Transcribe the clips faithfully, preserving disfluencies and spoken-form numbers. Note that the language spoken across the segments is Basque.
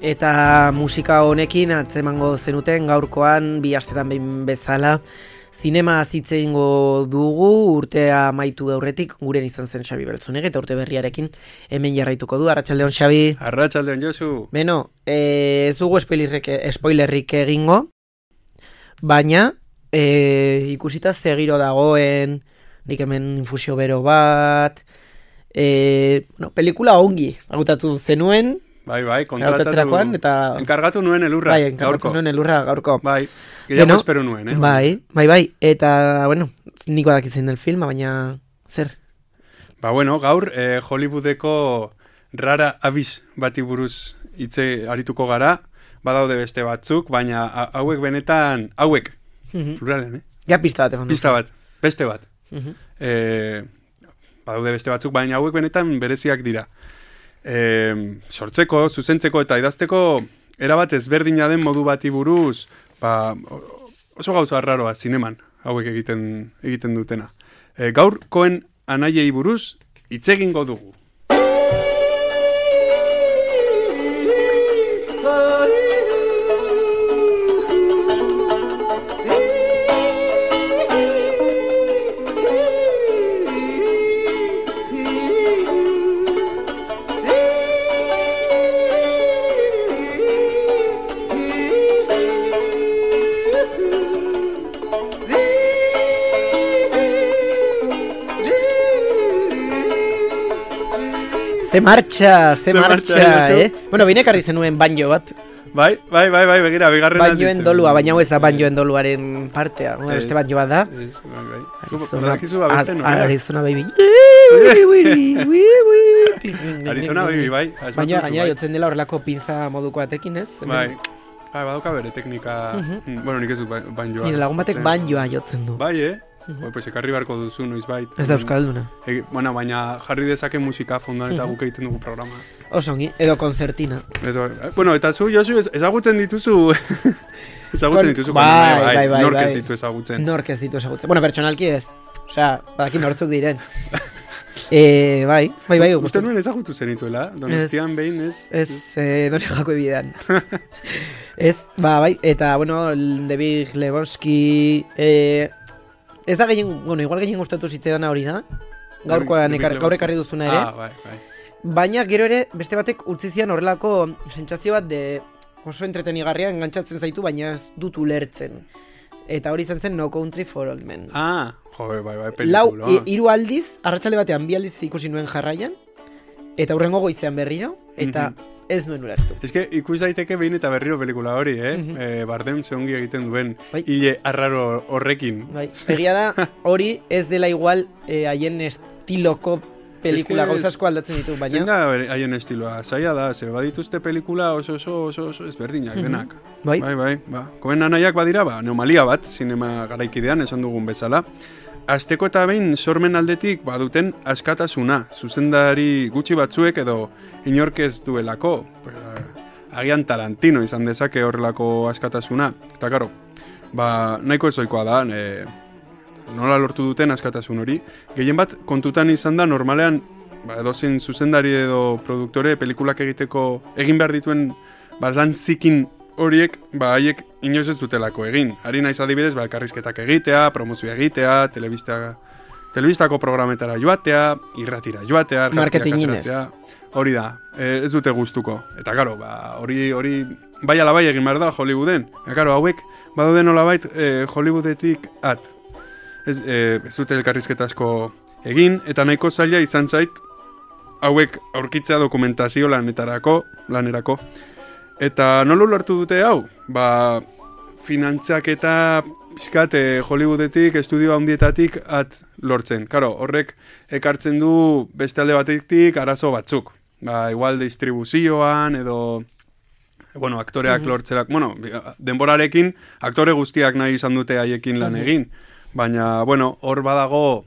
Eta musika honekin atzemango zenuten gaurkoan bi astetan behin bezala zinema hitz egingo dugu, urtea amaitu aurretik, guren izan zen Xabi Beltzunege eta urte berriarekin hemen jarraituko du. Arratsaldeon Xabi. Arratsaldeon Josu. Beno, e, ez dugu spoilerrik, spoilerrik egingo, baina e, ikusita ze giro dagoen, nik hemen infusio bero bat, e, bueno, pelikula ongi agutatu zenuen. Bai, bai, kontratatu, eta... enkargatu nuen elurra, bai, enkargatu gaurko. nuen elurra gaurko. Bai, gehiago bueno, espero nuen, eh? Bai, bai, bai, eta, bueno, niko dakitzen del filma, baina, zer? Ba, bueno, gaur, eh, Hollywoodeko rara abiz bati buruz hitze arituko gara, badaude beste batzuk, baina hauek benetan, hauek, uh-huh. pluralen, eh? Ja, pista bat, pista bat, beste bat. Uh-huh. eh, badaude beste batzuk, baina hauek benetan bereziak dira. E, sortzeko, zuzentzeko eta idazteko erabat ezberdina den modu bati buruz, ba, oso gauza arraroa zineman hauek egiten egiten dutena. E, gaurkoen anaiei buruz hitz egingo dugu. Ze marcha, ze, ze marcha, marcha eh? Bueno, bine karri zenuen banjo bat. Bai, bai, bai, bai, begira, bigarren aldiz. Banjoen dolua, baina hau ez da banjoen doluaren partea. Bueno, beste banjo bat da. Ez, bai, bai. Zupo, abesten, no? Arizona baby. Arizona baby, bai. Baina, gainera, jotzen dela horrelako pinza moduko atekin, ez? Bai. Bai, badoka bere teknika... Bueno, nik ez du banjoa. Nire lagun batek banjoa jotzen du. Bai, eh? Uh-huh. Pues ekarri barko duzu noizbait. Ez da euskalduna. E, bueno, baina jarri dezake musika fondoan eta uh-huh. guk egiten dugu programa. Osongi, edo konzertina. Edo, bueno, eta zu, Josu, ezagutzen dituzu... ezagutzen dituzu. Bai, bai, bai, bai. Nork ez ditu ezagutzen. Nork ez ditu ezagutzen. Bueno, pertsonalki ez. Osea, badaki nortzuk diren. eh, bai, bai, bai. Uste nuen ezagutu zenituela? Donostian behin ez? Ez, eh, dore jako ebidean. Ez, ba, bai. Eta, bueno, David Lebowski... Eh, Ez da gehien, bueno, igual gehien gustatu zitzean hori da. Gaurkoan ekar, gaur ekarri duzuna ere. Ah, bai, bai. Baina gero ere beste batek utzi zian horrelako sentsazio bat de oso entretenigarria engantzatzen zaitu, baina ez dut ulertzen. Eta hori izan zen No Country for Old Men. Ah, joder, bai, bai, pelikula. Lau, hiru aldiz, arratsalde batean bi aldiz ikusi nuen jarraian, eta hurrengo goizean berriro, eta mm-hmm. ez nuen ulertu. Ez que ikus daiteke behin eta berriro pelikula hori, eh? Mm-hmm. eh Bardem zeongi egiten duen, bai. Ile arraro horrekin. Bai, egia da hori ez dela igual haien eh, estiloko pelikula gauzasko aldatzen ditu, baina... Zein da haien estiloa, zaila da, ze badituzte pelikula oso oso oso oso ezberdinak mm-hmm. denak. Bai, bai, bai, ba. Koen anaiak badira, ba, neomalia bat, zinema garaikidean esan dugun bezala. Azteko eta behin sormen aldetik baduten askatasuna, zuzendari gutxi batzuek edo inork ez duelako. Agian Tarantino izan dezake horrelako askatasuna. Eta karo, ba, nahiko ezoikoa da, e, nola lortu duten askatasun hori. Gehien bat kontutan izan da normalean, ba, edozein zuzendari edo produktore pelikulak egiteko egin behar dituen ba, lan zikin horiek, ba, haiek inoiz ez dutelako egin. Hari naiz adibidez, ba, elkarrizketak egitea, promozioa egitea, telebista, telebistako programetara joatea, irratira joatea, marketing inez. Hori da, e, ez dute gustuko. Eta karo, ba, hori, hori, bai ala bai egin behar da Hollywooden. Eta karo, hauek, baduden nolabait e, Hollywoodetik at. Ez, e, ez dute elkarrizketa asko egin, eta nahiko zaila izan zait, hauek aurkitzea dokumentazio lanetarako, lanerako. Eta nola lortu dute hau? Ba, finantzak eta pixkat Hollywoodetik, estudio handietatik at lortzen. Karo, horrek ekartzen du beste alde batetik arazo batzuk. Ba, igual distribuzioan edo, bueno, aktoreak mm-hmm. lortzerak, bueno, denborarekin aktore guztiak nahi izan dute haiekin lan egin. Baina, bueno, hor badago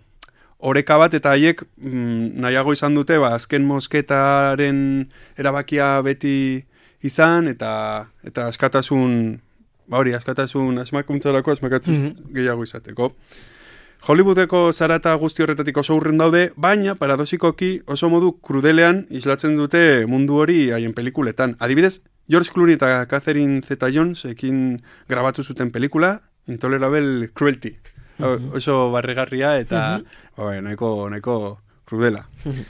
oreka bat eta haiek mm, nahiago izan dute, ba, azken mosketaren erabakia beti izan, eta eta askatasun, ba hori, askatasun asmakuntzarako asmakatuz mm-hmm. gehiago izateko. Hollywoodeko zarata guzti horretatik oso urren daude, baina paradosikoki oso modu krudelean islatzen dute mundu hori haien pelikuletan. Adibidez, George Clooney eta Catherine Zeta-Jones ekin grabatu zuten pelikula, Intolerable Cruelty. Mm-hmm. Oso barregarria eta mm-hmm. oe, nahiko, nahiko krudela. Mm-hmm.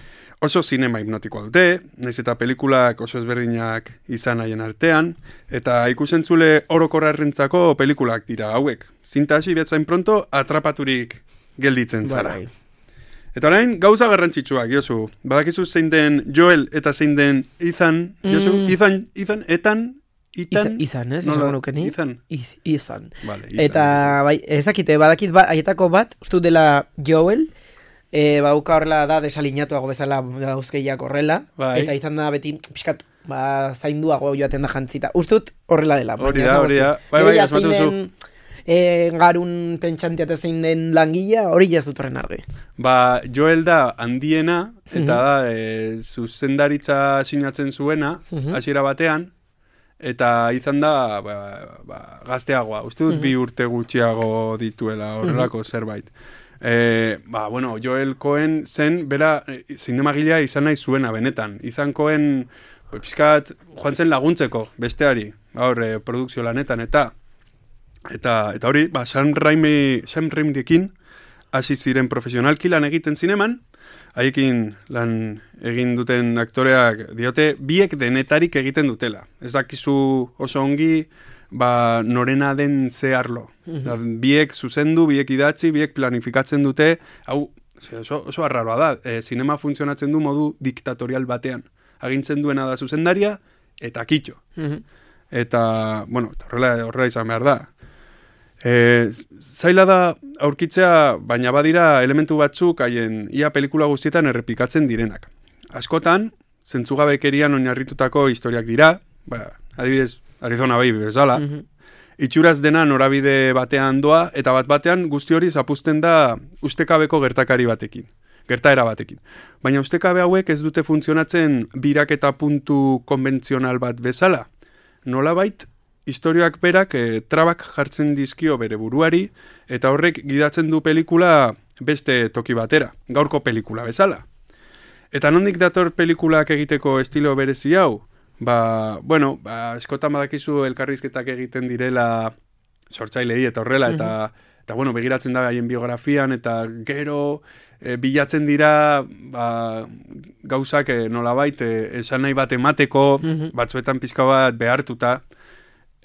Oso zinema hipnotikoa dute, naiz eta pelikulak oso ezberdinak izan haien artean, eta ikusentzule orokorrarrentzako pelikulak dira hauek. Zinta hasi betzain pronto atrapaturik gelditzen zara. Barai. Eta orain, gauza garrantzitsuak, Josu. Badakizu zein den Joel eta zein den Ethan, Josu? Mm. Ethan, Ethan, Etan, Ethan? Izan, ez? Nola, Izan. Ethan. Iz, izan. Vale, Ethan. Eta, bai, ezakite, badakit ba, aietako bat, ustu dela Joel, e, bauka horrela da desaliñatuago bezala dauzkeiak horrela, bai. Eta izan da beti, pixkat, ba, zainduago joaten da jantzita. Ustut horrela dela. Hori da, hori da. Bai, bai, asmatu zu. E, garun pentsantiate zein den langilea, hori jaz dut horren argi. Ba, Joel da handiena, eta mm-hmm. da, e, zuzendaritza sinatzen zuena, mm-hmm. hasiera batean, eta izan da, ba, ba, gazteagoa. Uste dut mm-hmm. bi urte gutxiago dituela horrelako mm-hmm. zerbait. E, ba, bueno, Joel Cohen zen, bera, zinemagilea izan nahi zuena, benetan. Izan Cohen, pizkat, joan zen laguntzeko, besteari, hor, e, produkzio lanetan, eta Eta, eta hori, ba, Sam Raimi, Sam Raimirekin hasi ziren profesionalki lan egiten zineman, haiekin lan egin duten aktoreak diote biek denetarik egiten dutela. Ez dakizu oso ongi, ba, norena den zeharlo. Mm-hmm. Biek zuzendu, biek idatzi, biek planifikatzen dute, hau, oso, oso arraroa da, e, zinema funtzionatzen du modu diktatorial batean. Agintzen duena da zuzendaria, eta kitxo. Mm-hmm. Eta, bueno, horrela, horrela izan behar da. E, zaila da aurkitzea, baina badira elementu batzuk haien ia pelikula guztietan errepikatzen direnak. Askotan, zentzugabekerian oinarritutako historiak dira, ba, adibidez, Arizona Baby bezala, mm-hmm. itxuraz dena norabide batean doa, eta bat batean guzti hori zapuzten da ustekabeko gertakari batekin, gertaera batekin. Baina ustekabe hauek ez dute funtzionatzen biraketa puntu konbentzional bat bezala. Nolabait, historioak berak e, trabak jartzen dizkio bere buruari, eta horrek gidatzen du pelikula beste toki batera, gaurko pelikula bezala. Eta nondik dator pelikulak egiteko estilo berezi hau? Ba, bueno, ba, eskotan badakizu elkarrizketak egiten direla sortzailei eta horrela, eta, mm-hmm. eta bueno, begiratzen da haien biografian, eta gero e, bilatzen dira ba, gauzak e, nolabait, e, esan nahi bat emateko, mm-hmm. batzuetan pizka bat behartuta,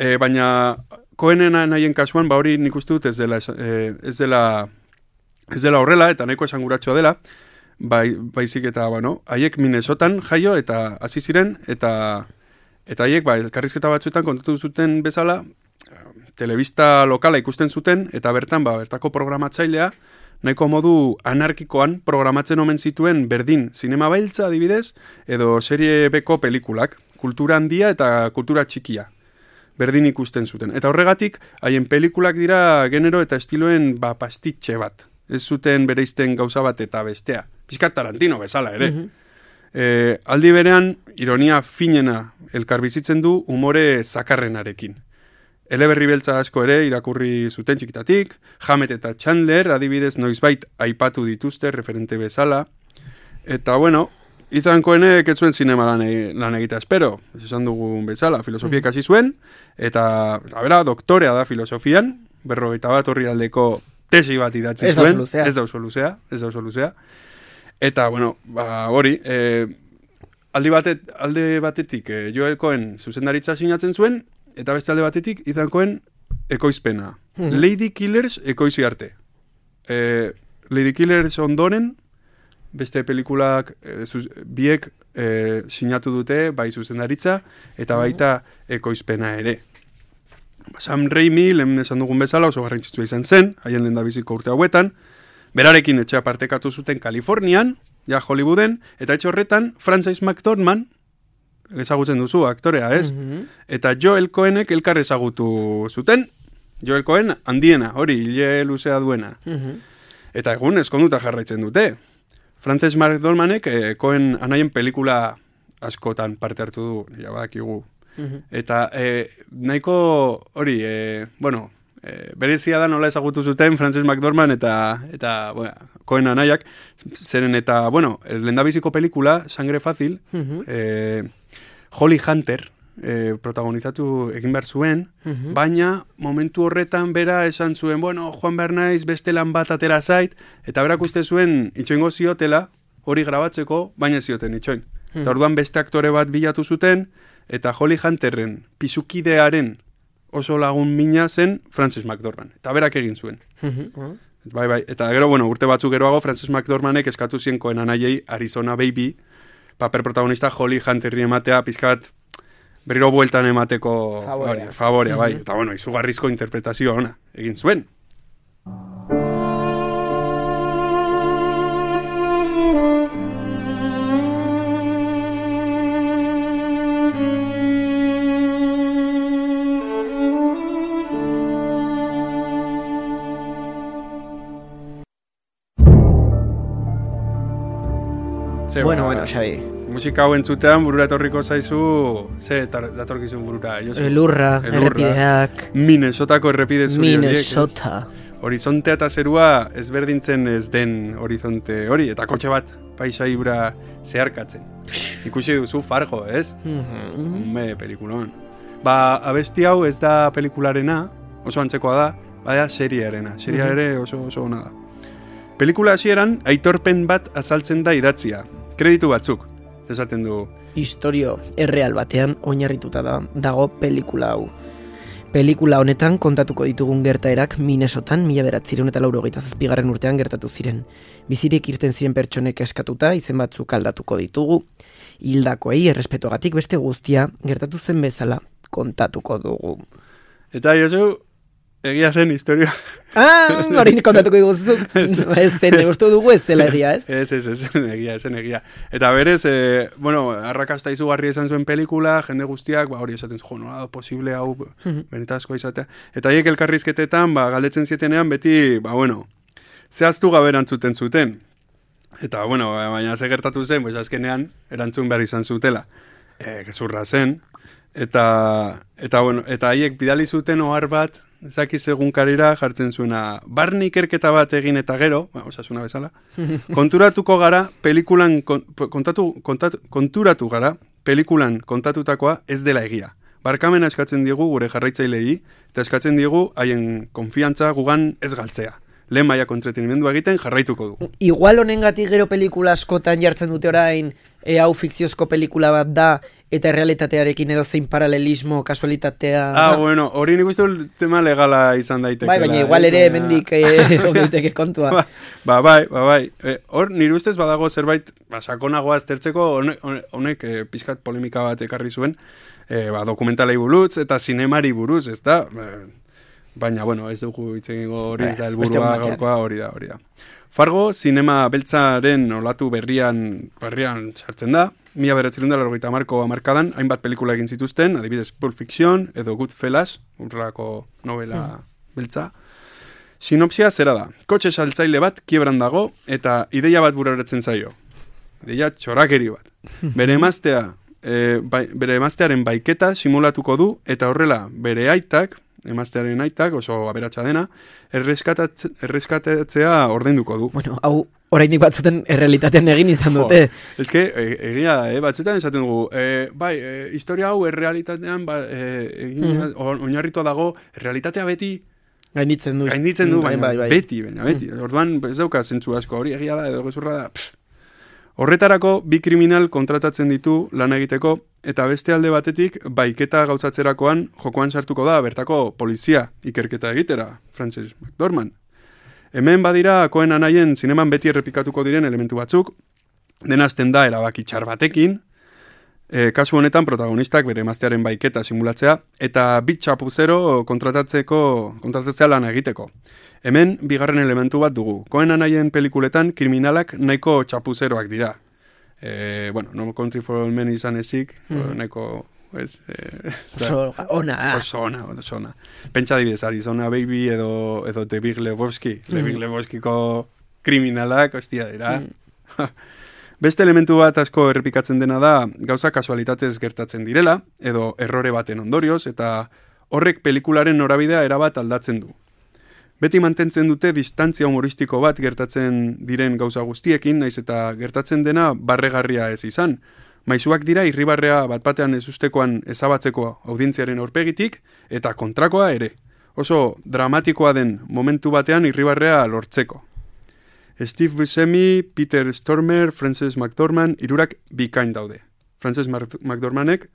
E, baina Cohenen nahien kasuan, ba hori nik uste dut ez dela, e, ez dela, ez dela horrela, eta nahiko esanguratxoa dela, bai, baizik eta, bueno, haiek Minnesotan jaio eta hasi ziren, eta eta haiek, ba, elkarrizketa batzuetan kontatu zuten bezala, telebista lokala ikusten zuten, eta bertan, ba, bertako programatzailea, nahiko modu anarkikoan programatzen omen zituen berdin zinema bailtza adibidez, edo serie beko pelikulak, kultura handia eta kultura txikia. Berdin ikusten zuten. Eta horregatik, haien pelikulak dira genero eta estiloen ba, pastitxe bat. Ez zuten bereizten gauza bat eta bestea. Pizkat Tarantino bezala ere. Mm-hmm. E, aldi berean, ironia finena elkarbizitzen du umore zakarrenarekin. Eleberri beltza asko ere irakurri zuten txikitatik, Hammett eta Chandler adibidez noizbait aipatu dituzte referente bezala. Eta bueno, Ethan Cohenek ez zuen zinema lan, e, lan egitea espero, ez esan dugun bezala, filosofia ikasi zuen, eta, a bera, doktorea da filosofian, berrogeita bat horri aldeko tesi bat idatzi zuen, ez da oso luzea, ez da oso luzea, eta, bueno, ba, hori, e, aldi batet, alde batetik e, Joel Cohen zuzendaritza sinatzen zuen, eta beste alde batetik Ethan Cohen ekoizpena. Mm-hmm. Lady Killers ekoizi arte. E, Lady Killers ondoren, beste pelikulak e, zuz, biek e, sinatu dute bai zuzendaritza eta baita ekoizpena ere. Sam Raimi, lehen esan dugun bezala, oso garrantzitsua izan zen, haien lehendabiziko urte hauetan, berarekin etxea partekatu zuten Kalifornian, ja Hollywooden, eta etxe horretan Frances McDormand, ezagutzen duzu aktorea, ez? Mm-hmm. Eta Joel Cohenek elkar ezagutu zuten, Joel Cohen handiena, hori, hile luzea duena. Mm-hmm. Eta egun eskonduta jarraitzen dute. Frances McDormandek eh, Cohen anaien pelikula askotan parte hartu du, ja badakigu. Mm-hmm. Eta eh, nahiko hori, eh, bueno, eh, berezia da nola ezagutu zuten Frances McDormand eta, eta bueno, Cohen anaiak, zeren eta, bueno, lehendabiziko pelikula, Sangre Fácil, mm-hmm. eh, Holly Hunter, e, protagonizatu egin behar zuen, Mhm. baina momentu horretan bera esan zuen, bueno, joan behar naiz, beste lan bat atera zait, eta berak uste zuen itxoingo ziotela, hori grabatzeko, baina zioten itxoin. Mhm. Eta orduan beste aktore bat bilatu zuten, eta Holly Hunterren pisukidearen oso lagun mina zen Frances McDormand. Eta berak egin zuen. Mhm. Bai, bai. Eta gero, bueno, urte batzuk geroago, Frances McDormandek eskatu zien Coen anaiei Arizona Baby, paper protagonista Holly Hunterri ematea, pizkat berriro bueltan emateko Favorea. hori, favorea, bai. Mhm. Eta bueno, izugarrizko interpretazio ona egin zuen. Ze, Bueno, ba, bueno, Xabi. musika hau entzutean burura etorriko zaizu, ze tar- datorkizun burura, Josu? Elurra, Elurra. errepideak, Minnesotako errepide zuri horiek, ez? Minnesota. Horizontea eta zerua ezberdintzen ez den horizonte hori, eta kotxe bat paisaibura zeharkatzen. Ikusi duzu Fargo, ez? Mhm. Hume, pelikulon. Ba, abesti hau ez da pelikularena, oso antzekoa da, bada seriarena. Seria Mhm. ere oso oso ona da. Pelikula hasieran aitorpen bat azaltzen da idatzia. Kreditu batzuk, esaten du. Historio erreal batean oinarrituta da, dago pelikula hau. Pelikula honetan kontatuko ditugun gertaerak Minnesotan mila beratzireun eta laurogeita zazpigarren urtean gertatu ziren. Bizirik irten ziren pertsonek eskatuta izen batzuk aldatuko ditugu. Hildakoei errespetuagatik beste guztia gertatu zen bezala kontatuko dugu. Eta Josu, egia zen historia. Ah, hori kontatuko diguzuk. Ez zen, uste dugu ez zela egia, ez? Ez, ez, ez, egia, ez, egia. Eta berez, e, bueno, arrakasta izugarri esan zuen pelikula, jende guztiak, ba, hori esaten zuen, nola da posible hau, benetazkoa izatea. Eta haiek elkarrizketetan, ba, galdetzen zietenean, beti, ba, bueno, zehaztu gabe erantzuten zuten. Eta, bueno, baina ze gertatu zen, pues, azkenean, erantzun behar izan zutela. E, gezurra zen. Eta, eta, bueno, eta haiek bidali zuten ohar bat, ezakiz egunkarira jartzen zuena, barne ikerketa bat egin eta gero, ba, osasuna bezala, konturatuko gara, pelikulan, kon, kontatu, kontatu, konturatu gara, pelikulan kontatutakoa ez dela egia. Barkamena eskatzen diegu gure jarraitzailei, eta eskatzen diegu haien konfiantza gugan ez galtzea. Lehen mailako entretenimendua egiten jarraituko dugu. Igual honengatik gero pelikula askotan jartzen dute orain, e, hau fikziozko pelikula bat da, eta errealitatearekin edo zein paralelismo, kasualitatea... Ah, da. bueno, hori nik uste dut tema legala izan daiteke. Bai, baina igual ere hemendik eh, daiteke kontua. Ba, ba, bai, ba, bai. E, hor, nire ustez badago zerbait, ba, sakonagoa aztertzeko, honek, honek e, pizkat polemika bat ekarri zuen, e, ba, dokumentalei buruz eta zinemari buruz, ez da? Baina, bueno, ez dugu hitz egingo hori, ez da, helburua gaurkoa hori da, hori da. Fargo, zinema beltzaren olatu berrian, berrian sartzen da, mila bederatziehun eta laurogeita hamarko hamarkadan, hainbat pelikula egin zituzten, adibidez Pulp Fiction edo Goodfellas, urrelako novela beltza. Sinopsia zera da, kotxe saltzaile bat kiebran dago eta ideia bat bururatzen zaio. Ideia txorakeri bat. Bere emaztea, e, bai, bere emaztearen baiketa simulatuko du eta horrela bere aitak, emaztearen aitak, oso aberatsa dena, erreskatatzea ordainduko du. Bueno, hau orainik batzuten errealitatean egin izan dute. Jo, eske, e, egia, e, batzutan esaten dugu, e, bai, e, historia hau errealitatean ba, e, egin, mm. oinarritua dago, errealitatea beti Gainditzen du. gainditzen du, baina bai, bai. beti, baina beti. Mm. Orduan, ez dauka zentzu asko, hori egia da, edo gezurra da. Pff. Horretarako, bi kriminal kontratatzen ditu lan egiteko, eta beste alde batetik, baiketa gauzatzerakoan jokoan sartuko da, bertako polizia ikerketa egitera, Frances McDormand. Hemen badira, Coen anaien zineman beti errepikatuko diren elementu batzuk, denazten da erabaki txar batekin, e, kasu honetan protagonistak bere emaztearen baiketa simulatzea, eta bit txapuzero kontratatzeko, kontratatzea lan egiteko. Hemen, bigarren elementu bat dugu. Coen anaien pelikuletan kriminalak nahiko txapuzeroak dira. E, bueno, No Country for Old Men izan ezik, mm. nahiko... Ez, eh, oso ona. Oso ona, oso ona. Pentsa dibidez, Arizona Baby edo, edo The Big Lebowski. Mm. The Big Lebowskiko kriminalak, ostia dira. Mm. Beste elementu bat asko errepikatzen dena da, gauza kasualitatez gertatzen direla, edo errore baten ondorioz, eta horrek pelikularen norabidea erabat aldatzen du. Beti mantentzen dute distantzia humoristiko bat gertatzen diren gauza guztiekin, naiz eta gertatzen dena barregarria ez izan. Maizuak dira irribarrea bat batean ez ustekoan ezabatzeko audientziaren aurpegitik, eta kontrakoa ere. Oso dramatikoa den momentu batean irribarrea lortzeko. Steve Buscemi, Peter Stormer, Frances McDormand, irurak bikain daude. Frances McDormandek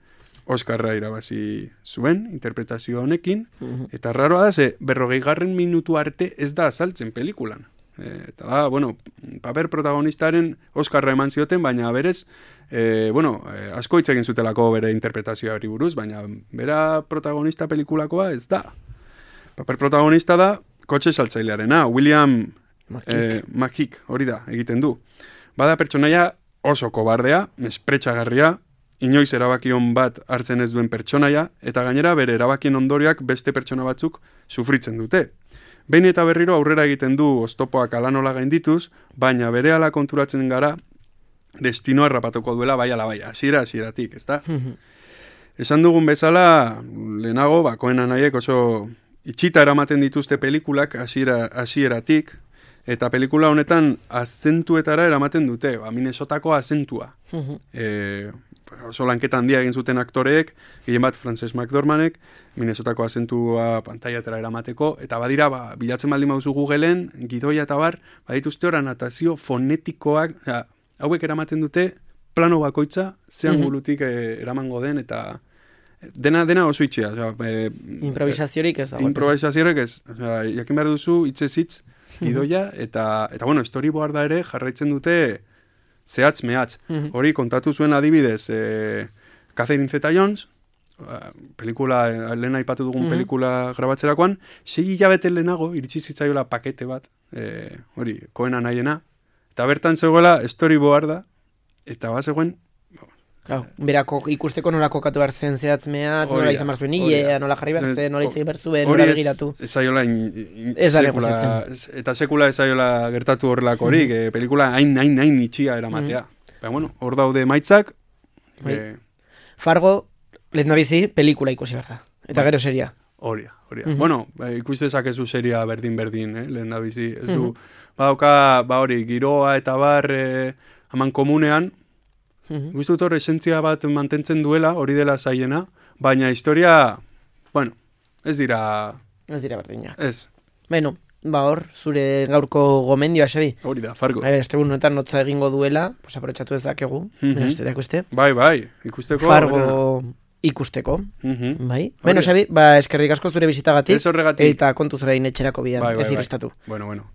Oscarra irabazi zuen interpretazio honekin, eta raroa da, ze berrogeigarren minutu arte ez da azaltzen pelikulan. E, eta da, bueno, paper protagonistaren Oscarra eman zioten, baina berez, e, bueno, e, asko hitz egin zutelako bere interpretazioari buruz, baina bera protagonista pelikulakoa ez da. Paper protagonista da kotxe saltzailearena, William McKeek, eh, hori da, egiten du. Bada pertsonaia oso kobardea, mespretxagarria, inoiz erabakion bat hartzen ez duen pertsonaia, eta gainera bere erabakien ondorioak beste pertsona batzuk sufritzen dute. Behin eta berriro aurrera egiten du oztopoak alanola gaindituz, baina berehala konturatzen gara destinoa rapatuko duela bai ala bai, hasiera hasieratik, ezta? Esan dugun bezala, lehenago, bakoen anaiek oso itxita eramaten dituzte pelikulak hasiera hasieratik, eta pelikula honetan azentuetara eramaten dute, ba, Minnesotako azentua. e, oso lanketa handia egin zuten aktoreek, gehien bat Frances McDormandek, Minnesotako azentua pantaiatara eramateko, eta badira, ba, bilatzen baldin mauzu Googleen, gidoia eta bar, badituzte ora natazio fonetikoak, ja, hauek eramaten dute, plano bakoitza, zean gulutik eh, eramango den, eta dena dena oso itxea. O sea, eh, improvisaziorik ez da. Improvisaziorik ez. O sea, jakin behar duzu, hitzez hitz, gidoia, eta, eta bueno, storyboarda ere jarraitzen dute zehatz mehatz. Hori kontatu zuen adibidez, eh, Catherine Zeta-Jones, pelikula, eh, lehen aipatu dugun pelikula grabatzerakoan, sei hilabete lehenago, iritsi zitzaiola pakete bat, eh, hori, Coena nahiena, eta bertan zegoela storyboarda, eta bat zegoen, Claro, berako ikusteko nola kokatu behar zen zehatzmeak, nola izan behar zuen hilea, nola jarri behar zen, nola izan behar zuen, nola begiratu. Ez zaiola, ez da negoziatzen. Eta sekula ez zaiola gertatu horrelako horik, mm -hmm. pelikula hain, hain, hain itxia eramatea. Mm -hmm. Baina, bueno, hor daude maitzak. Eh... Fargo, lehen nabizi, pelikula ikusi behar da. Eta ba, gero seria. Horia, horia. Mm -hmm. Bueno, ikustezak ez du seria berdin-berdin, eh, lehen nabizi. Ez du, mm -hmm. badauka, ba hori, giroa eta bar, eh, aman komunean, Mm-hmm. Guztut hor esentzia bat mantentzen duela, hori dela zaiena, baina historia, bueno, ez dira... Ez dira berdina. Ez. Bueno, ba hor, zure gaurko gomendioa, Xabi. Hori da, Fargo. Ba, este bunoetan notza egingo duela, pues aprotxatu ez dakegu, mm-hmm. este dakueste. Bai, bai, ikusteko. Fargo bera. Ikusteko, mm-hmm. bai. Bueno, Xabi, ba, eskerrik asko zure bizitagatik. Ez horregatik. Eta kontuz orain etxerako bidan, bai, bai, ez irrestatu. Bai. Bueno, bueno.